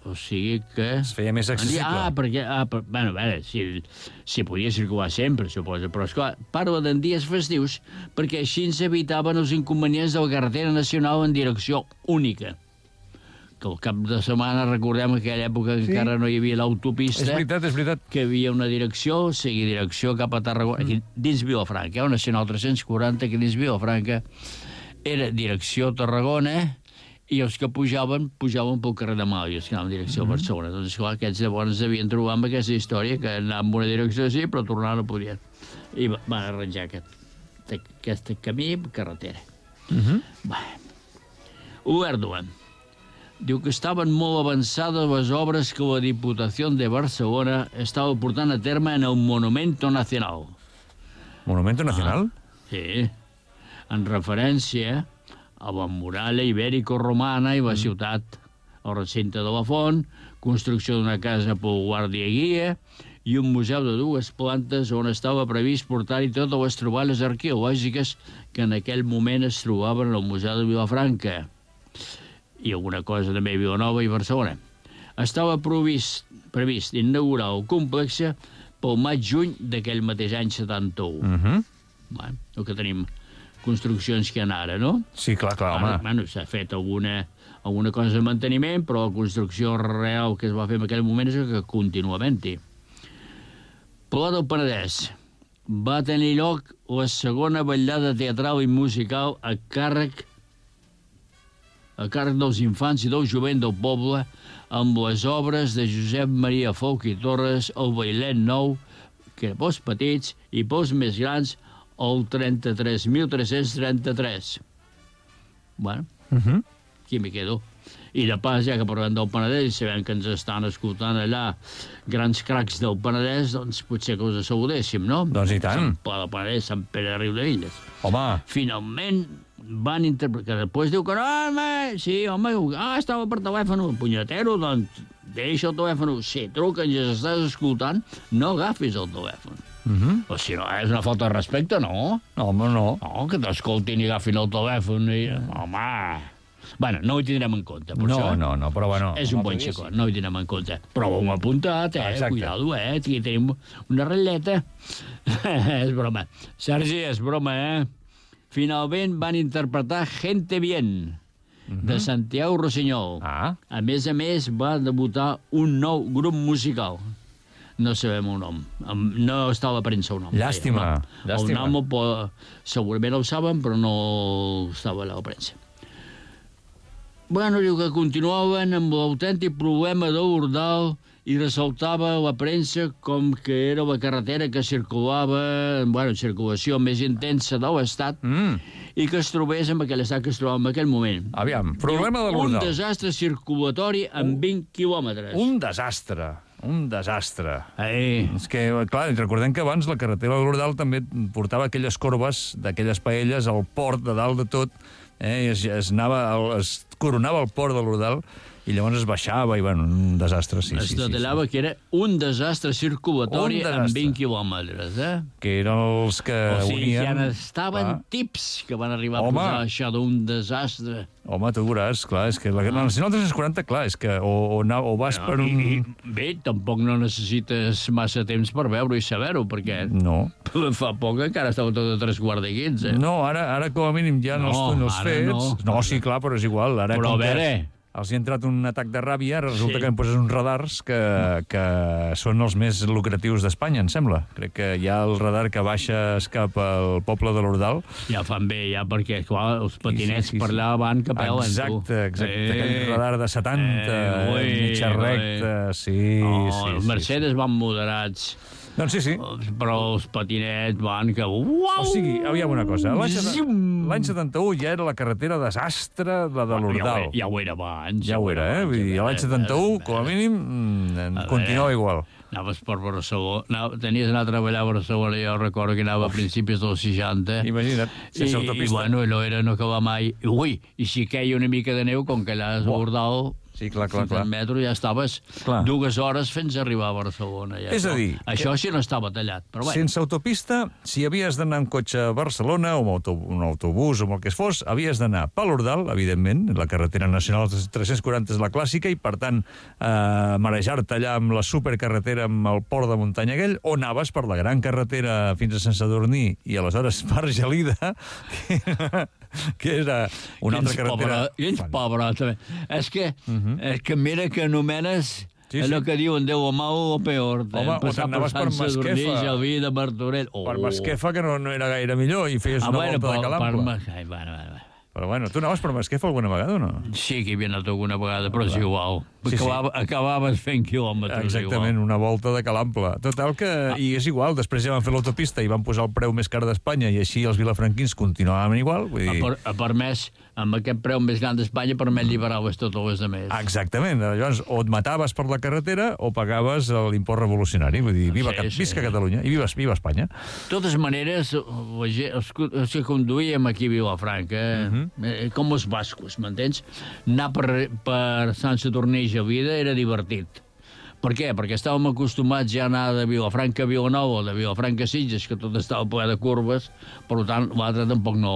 O sigui que... Es feia més accessible. Ah, perquè... Ah, per, bueno, a veure, si, si podia circular sempre, suposo, però, esclar, parla d'en dies festius perquè així s'evitaven els inconvenients de la carretera nacional en direcció única. Que al cap de setmana, recordem que en aquella època sí. encara no hi havia l'autopista. És veritat, és veritat. Que hi havia una direcció, seguir direcció cap a Tarragona, aquí dins Vilafranca, una Nacional tres-cents quaranta que dins Vilafranca era direcció Tarragona, i els que pujaven, pujaven pel carrer de Mal, i els que anaven en direcció a Barcelona. Doncs, esclar, aquests llavors devien trobar amb aquesta història, que anaven en una direcció sí, però tornar no podien. I van arranjar aquest, aquest camí, carretera. Uh -huh. Bé. Uerdua. Diu que estaven molt avançades les obres que la Diputació de Barcelona estava portant a terme en el Monumento Nacional. Monumento Nacional? Ah, sí, en referència a la muralla ibèrico-romana i la ciutat, el recinte de la font, construcció d'una casa pel guàrdia guia i un museu de dues plantes on estava previst portar-hi totes les troballes arqueològiques que en aquell moment es trobaven al Museu de Vilafranca i alguna cosa també a Vilanova i Barcelona. Estava previst, previst inaugurar el complex pel maig-juny d'aquell mateix any setanta-u. Uh -huh. Bueno, el que tenim construccions que hi ha ara, no? Sí, clar, clar, home. Ara, bueno, s'ha fet alguna, alguna cosa de manteniment, però la construcció real que es va fer en aquell moment és que continua havent-hi. Pla del Penedès. Va tenir lloc la segona vetllada teatral i musical a càrrec a càrrec dels infants i del jovent del poble amb les obres de Josep Maria Folch i Torres, el Bailet Nou, que pels petits i pels més grans, el trenta-tres mil tres-cents trenta-tres. Bueno, Uh -huh. aquí m'hi quedo. I de pas, ja que parlem del Penedès i sabem que ens estan escoltant allà grans cracs del Penedès, doncs potser que us saludéssim, no? Doncs i tant. Sant Pla del Penedès, Sant Pere de Riudevilles. Home. Finalment van interpretar, que després diu que no, home, sí, home, ah, estava per telèfon, punyetero, doncs deixa el telèfon, sí, truca, ens estàs escoltant, no agafis el telèfon. Uh -huh. O si no, és una falta de respecte, no? No, home, no. No, que t'escoltin i agafin el telèfon i... Home... Bueno, no ho tindrem en compte, per No, això. no, no, però bueno... És un home, bon xicot, no ho tindrem en compte. Però ho hem apuntat, eh? Exacte. Cuidado, eh? Aquí tenim una ratlleta. És broma. Sergi, és broma, eh? Finalment van interpretar Gente Bien, de Santiago Rossinyol. Ah. A més a més, va debutar un nou grup musical. No sabem el nom. No està a la premsa el nom. Llàstima, El nom, llàstima. el nom el po- segurament el saben, però no estava a la premsa. Bueno, diu que continuaven amb l'autèntic problema de l'Ordal i ressaltava la premsa com que era la carretera que circulava, bueno, circulació més intensa de l'Estat, Mm. i que es trobés en aquell estat que es trobava en aquell moment. Aviam, problema de Diu, Un l'Ordal. desastre circulatori amb vint quilòmetres. Un desastre, un desastre. Ei, És que, clar, recordem que abans la carretera de l'Ordal també portava aquelles corbes d'aquelles paelles al port de dalt de tot, eh, i es, es, anava, es coronava el port de l'Ordal i llavors es baixava i, bueno, un desastre, sí, es sí, sí, detallava sí. que era un desastre circulatori Un desastre. amb vint quilòmetres, eh? Que eren els que O sigui, unien... ja n'estaven clar. tips que van arribar Home. a posar això d'un desastre. Home, tu veuràs, clar, és que la Nacional tres cents quaranta, clar, és que o, o, na- o vas per un... I, i, bé, tampoc no necessites massa temps per veure i saber-ho, perquè No. fa poc encara estava tot a tres quarts de quinze. No, ara, ara com a mínim ja no, No, els, els ara fets... no. No, sí, clar, però és igual. Ara, Però com a que veure... els hi ha entrat un atac de ràbia, ara resulta Sí. que em poses uns radars que, que són els més lucratius d'Espanya, em sembla. Crec que hi ha el radar que baixa cap al poble de l'Ordal. Ja fan bé, ja, perquè, clar, els patinets Sí, sí, sí, per sí. allà van que pelen, tu. Exacte, exacte. Eh, Aquell radar de setanta, eh, ui, mitja recta, sí, No, sí, els sí. Mercedes van moderats, Doncs sí, sí. però els patinets van que... Uau! O sigui, aviam una cosa. L'any setanta- Zum! l'any setanta-u ja era la carretera desastre, la de Ja ho, l'Ordal. ja ho era abans. Ja ho era, eh? Vull dir, l'any setanta-u, com a mínim, mm, continuava igual. Anaves per Barcelona, anava, tenies d'anar a treballar a Barcelona, jo recordo que anava a principis dels seixanta. Imagina't, sense I, autopista. I, bueno, allò era no acabar mai. I, ui, i si queia una mica de neu, com que allà és Buah. Ordal, Sí, clar, clar, fins clar. al metro ja estaves Clar. dues hores fins a arribar a Barcelona. Ja, És a això. dir, Això sí no estava tallat, però bueno. Sense autopista, si havies d'anar en cotxe a Barcelona o amb auto, un autobús o amb el que es fos, havies d'anar per l'Ordal, evidentment, la carretera nacional tres cents quaranta és la clàssica, i per tant, eh, marejar-te allà amb la supercarretera amb el port de muntanya aquell, o anaves per la gran carretera fins a Sant Sadurní i aleshores per Gelida, que era una altra carretera... Quins Fan- pobre, també. És que, és que mira que anomenes Sí, allò sí. que diuen Déu o mal o peor. Home, o t'anaves per Masquefa. Gelví de Martorell. Oh. Per Masquefa, que no, no era gaire millor, i feies Ah, una bueno, volta de per, per Calample. Mas- Ai, bueno, bueno, bueno. Però bueno, tu anaves per Masquefa alguna vegada o no? Sí que hi havia anat alguna vegada, però és igual. Sí, sí. Acabava, Acabaves fent quilòmetres. Exactament, Igual. una volta de Calample. Total que... Ah. I és igual, després ja van fer l'autopista i van posar el preu més car d'Espanya i així els vilafranquins continuaven igual. Vull Ha, dir... per, ha permès, amb aquest preu més gran d'Espanya, permet lliberar-les totes les altres. Exactament. Llavors, o et mataves per la carretera o pagaves l'impost revolucionari. Vull dir, viva, Sí, sí, sí. visca Catalunya i viva, viva Espanya. De totes maneres, la gent- els, que- els que conduïem aquí a Vilafranca, uh -huh. eh, com els bascos, m'entens? Anar per, per Sant Sadurní i Gelida era divertit. Per què? Perquè estàvem acostumats ja a anar de Vilafranca a Vilanova o de Vilafranca a Sitges, que tot estava ple de curves, per tant, l'altre tampoc no,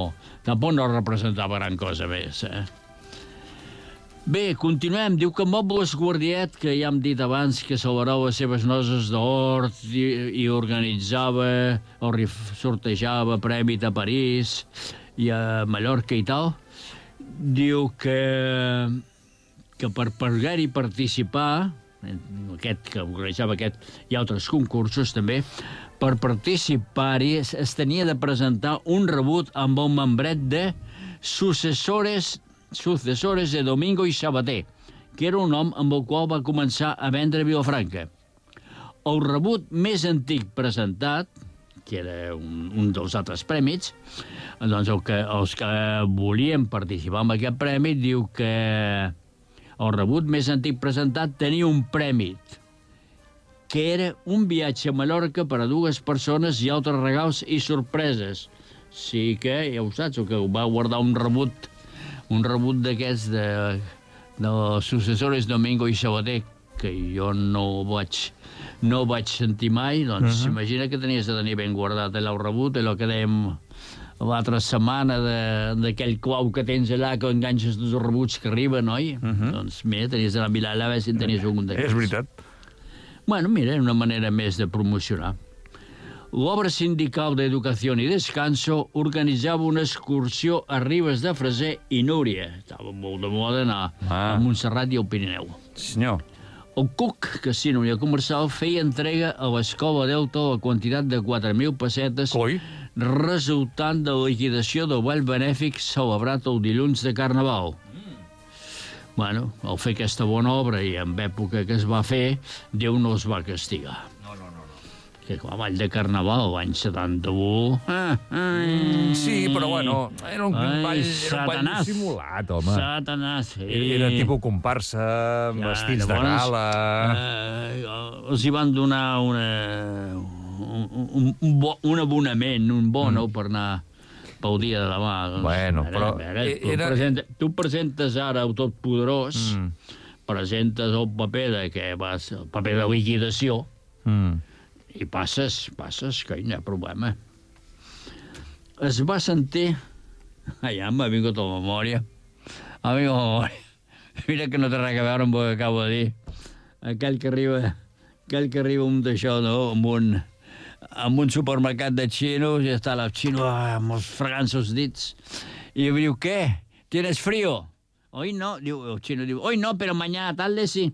tampoc no representava gran cosa més. Eh? Bé, continuem. Diu que Mobles Guardiet, que ja hem dit abans que celebrava les seves noces d'hort i, i organitzava o sortejava prèmit a París i a Mallorca i tal, diu que, que per poder-hi participar, aquest que organitzava aquest i altres concursos també, per participar-hi es, es tenia de presentar un rebut amb el membret de successores, successores de Domingo i Sabater, que era un nom amb el qual va començar a vendre Vilafranca. El rebut més antic presentat, que era un, un dels altres prèmits, doncs el que, els que volien participar en aquest premi diu que el rebut més antic presentat tenia un prèmit, que era un viatge a Mallorca per a dues persones i altres regals i sorpreses. Sí que, ja ho saps, el que va guardar un rebut, un rebut d'aquests de, de els successores Domingo i Sabater, que jo no vaig, no vaig sentir mai, doncs uh -huh. imagina que tenies de tenir ben guardat allà el rebut, allò que dèiem l'altra setmana d'aquell clau que tens allà, que enganxes tots els rebuts que arriben, oi? Uh -huh. Doncs mira, tenies d'anar a mirar allà a veure si en tenies algun d'aquests. És veritat. Bueno, mira, una manera més de promocionar. L'Obra Sindical d'Educació i Descanso organitzava una excursió a Ribes de Freser i Núria. Estava molt de moda anar ah. a Montserrat i al Pirineu. Senyor. El C U C, Casino i Comercial, feia entrega a l'Escola Delta la quantitat de quatre mil pessetes Coi. resultant de la liquidació del ball benèfic celebrat el dilluns de Carnaval. Mm. Bueno, al fer aquesta bona obra i en època que es va fer, Déu no els va castigar. No, no, no. no. Que clar, ball de Carnaval, l'any setanta-u... Ah, mm, sí, però bueno, era un, ai, ball, era un ball simulat, home. Satanàs, sí. Era tipus comparsa, amb ja, vestits de gala... Eh, els hi van donar una... Un, un, bo, un abonament, un bono mm. per anar pel dia de demà. Doncs, bueno, ara, però... Ara, tu, era... presenta, tu presentes ara el Totpoderós, mm. presentes el paper de que vas, el paper de liquidació, mm. i passes, passes, que no hi ha problema. Es va sentir... Ai, ja m'ha vingut a la memòria. M'ha vingut a la memòria. Mira que no té res a veure amb el que acabo de dir. Aquell que arriba... Aquell que arriba un d'això, no?, amb un... en un supermercat de xinos, i està el xino amb els fregant els dits, i diu, ¿qué? ¿Tienes frío? Hoy no, diu, el xino diu, hoy no, pero mañana tarde sí.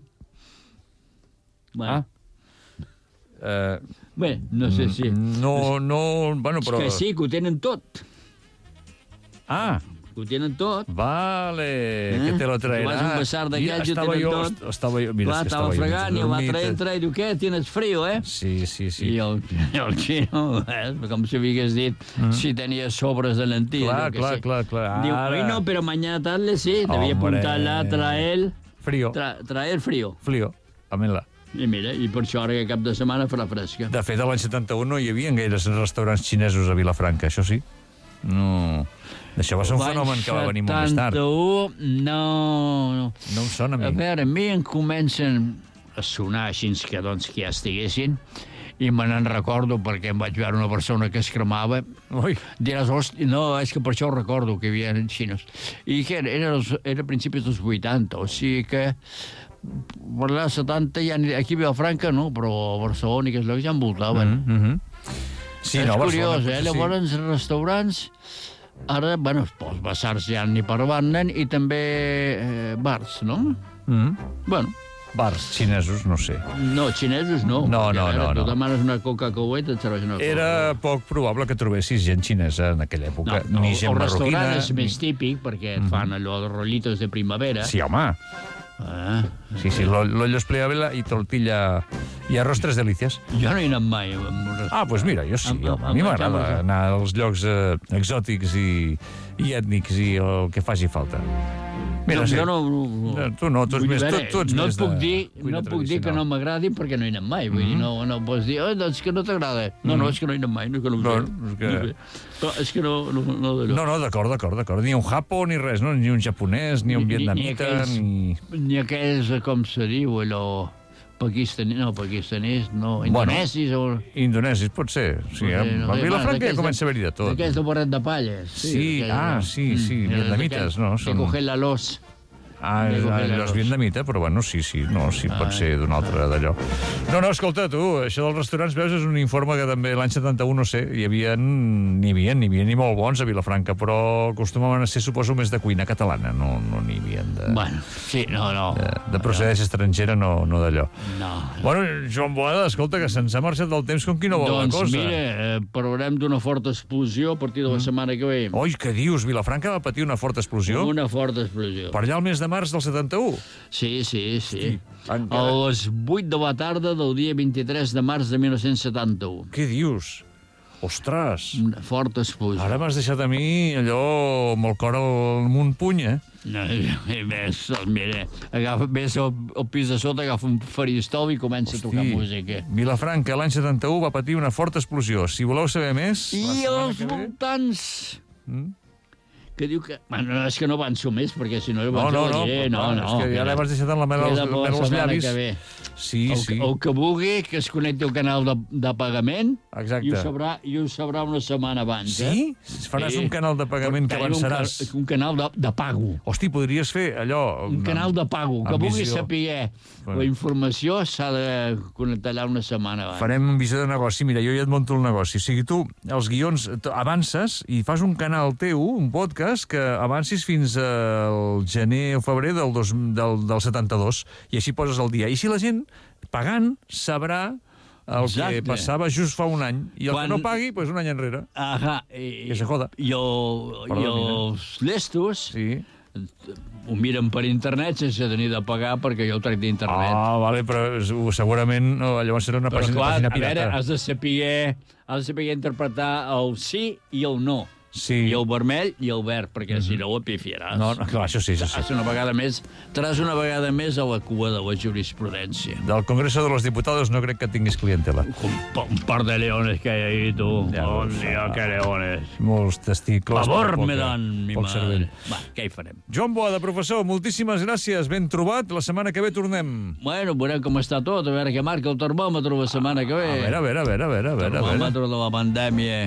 Bueno. Ah. Uh, Bé, no sé si... No, no, bueno, però... És que sí, que ho tenen tot. Ah. Ho tenen tot. Vale, eh? que te lo traerà. Tu vas un basar d'aquells i ho tenen jo, tot. Estava jo, mira, clar, que estava estava fregant jo, i l'altre entra i diu, què, tienes frío, eh? Sí, sí, sí. I el, el xino, eh, com si hagués dit, mm. si tenia sobres de lentilles. Clar, clar, sí. clar, clar. Diu, hoy no, pero mañana tarde sí. Devia apuntar allà, traer... Frío. Tra, traer frío. Frío, amén-la. I mira, i per això ara que cap de setmana farà fresca. De fet, a l'any setanta-u no hi havia gaires restaurants xinesos a Vilafranca, això sí. No... Això va ser un fenomen que va venir molt més tard. setanta-u, no... No, no em sona a mi. A veure, a mi em comencen a sonar així que, doncs, que ja estiguessin, i me n'en recordo perquè em vaig veure una persona que es cremava. Ui. Diràs, hosti, no, és que per això ho recordo, que hi havia xinos. I que era, era, era a principis dels vuitanta, o sigui que per la setanta ja aquí a Vilafranca no, però a Barcelona i que ja envoltaven. Mm -hmm. Sí, és no, curiós, eh? Llavors, sí. Restaurants... Ara, bueno, els basars ja n'hi parlen, i també eh, bars, no? Mm. Bueno. Bars xinesos, no sé. No, xinesos no. No, no, no. Tu no. demanes una Coca-Cola i et serveix una Coca-Cola. Era poc probable que trobessis gent xinesa en aquella època. No, no, ni gent el marroquina. restaurant és més típic, perquè et fan allò de rollitos de primavera. Sí, home. Ah. Sí, sí, l'ollos pleabela i tortilla i arroz tres delícies. Jo no hi he anat mai. Ah, doncs pues mira, jo sí. Amb, a mi m'agrada anar als llocs eh, exòtics i, i ètnics i el que faci falta. Mira, no, sí. jo no, no, no, tu no, tu, ets vull més, dir, tu, tu ets no més et puc de dir, cuina no puc dir que no tradicional. m'agradin perquè no hi anem mai. Vull dir, no, no pots dir, oh, doncs que no t'agrada. No, no, és que no hi anem mai, no, que no ho sé. No, és que- No, sé. Però és que no, no, no d'allò. No, no, d'acord, d'acord, d'acord. Ni un japo ni res, no? Ni un japonès, ni un vietnamita, aquells, ni... ni aquells, com se diu, allò... Pakistaní, no, pakistanís, no, indonesis o... Indonesis, pot ser. Sí, No sé, no a sé, Vilafranca bueno, ja comença a haver-hi de tot. D'aquells de Boret de Palles. Sí, d'aquells, ah, no? sí, sí, vietnamites, no? De Són- coger la los. Ah, de és, coger ah, la és los. vietnamita, però bueno, sí, sí, no, sí, pot Ah. ser d'un altre d'allò. No, no, escolta, tu, això dels restaurants, veus, és un informe que també l'any setanta-u, no sé, hi havia, n'hi havia, n'hi havia ni molt bons a Vilafranca, però acostumaven a ser, suposo, més de cuina catalana, no no n'hi havia de, Bueno, sí, no, no. de, de procedència estrangera, no, no d'allò. No. Bueno, Joan Boada, escolta, que se'ns ha marxat del temps com qui no vol Doncs la cosa. mira, eh, parlarem d'una forta explosió a partir de la setmana que ve. Oi, què dius? Vilafranca va patir una forta explosió? Una forta explosió. Per allà al mes de març del setanta-u? Sí, sí, sí. encara- A les vuit de la tarda del dia vint-i-tres de març de mil nou-cents setanta-u. Què dius? Ostres! Una forta explosió. Ara m'has deixat a mi allò amb el cor al munt puny, eh? No, i més, doncs mira, agafa, ves al, al pis de sota, agafa un faristol i comença a tocar música. Vilafranca, l'any setanta-u, va patir una forta explosió. Si voleu saber més... la I setmana els que ve- voltants... Mm? Que diu que... Bueno, no, és que no avanço més, perquè si no, No, llavors no, ho no, diré. No, clar, no. és que ja mira. l'has deixat en la mel Queda als, per la mel als setmana llavis. que ve. Sí, El, sí, el que vulgui que es connecti al canal de, de pagament exacte. i ho, sabrà, i ho sabrà una setmana abans. Sí? Faràs un canal de pagament que Tenim un ca- avançaràs. Un, canal de, de pago. Hosti, podries fer allò... Un canal de pago. Que amb vulgui visió. saber Bueno. la informació s'ha de connectar allà una setmana abans. Farem un visió de negoci. Mira, jo ja et monto el negoci. O sigui, tu, els guions, t- avances i fas un canal teu, un podcast, que avancis fins al gener o febrer del, dos, del, del setanta-dos. I així poses el dia. I si la gent, pagant, sabrà el Exacte. que passava just fa un any. I el Quan- que no pagui, doncs un any enrere. Ajá. I, Que se joda. I, el, Perdó, i els llestos Sí. ho miren per internet sense tenir de pagar perquè jo ho trec d'internet. Ah, vale, però és- segurament no, llavors serà una Però pàgina, clar, pàgina a veure, pirata. has de saber, has de saber interpretar el sí i el no. Sí. I el vermell i el verd, perquè si no ho pifiaràs. No, no, clar, això sí, això sí. Seràs una vegada més, estaràs una vegada més a la cua de la jurisprudència. Del Congreso de los Diputados no crec que tinguis clientela. Un, pa- un par de leones que hay ahí, tú. Ja Oh, ho sé. Dios, que leones. Molts testicles. Favor però me poca- dan, mi poc madre. cervell. Va, què hi farem? Joan Boada, professor, moltíssimes gràcies. Ben trobat. La setmana que ve tornem. Bueno, veurem com està tot, a veure què marca el termòmetre la setmana que ve. A veure, a veure, a veure, a veure, a veure. a veure. termòmetre de la pandèmia.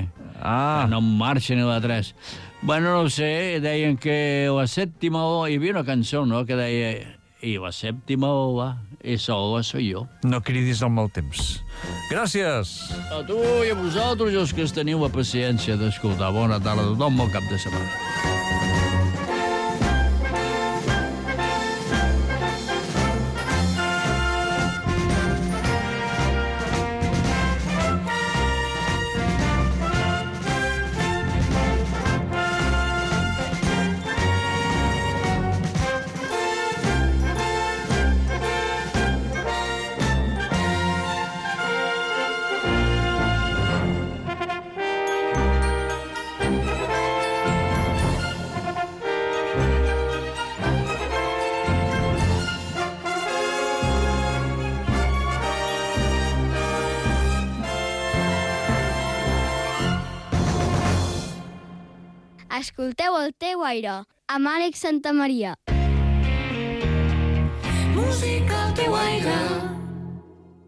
Ah, No en marxa ni la tres. Bueno, no ho sé, deien que la sèptima O... Hi havia una cançó, no?, que deia... I la sèptima O, va, esa O soy yo. no cridis al mal temps. Gràcies. A tu i a vosaltres, els que teniu la paciència d'escoltar. Bona tarda a tothom, bon cap de setmana. Escolteu el teu aire, amb Àlex Santamaria. Música al teu aire.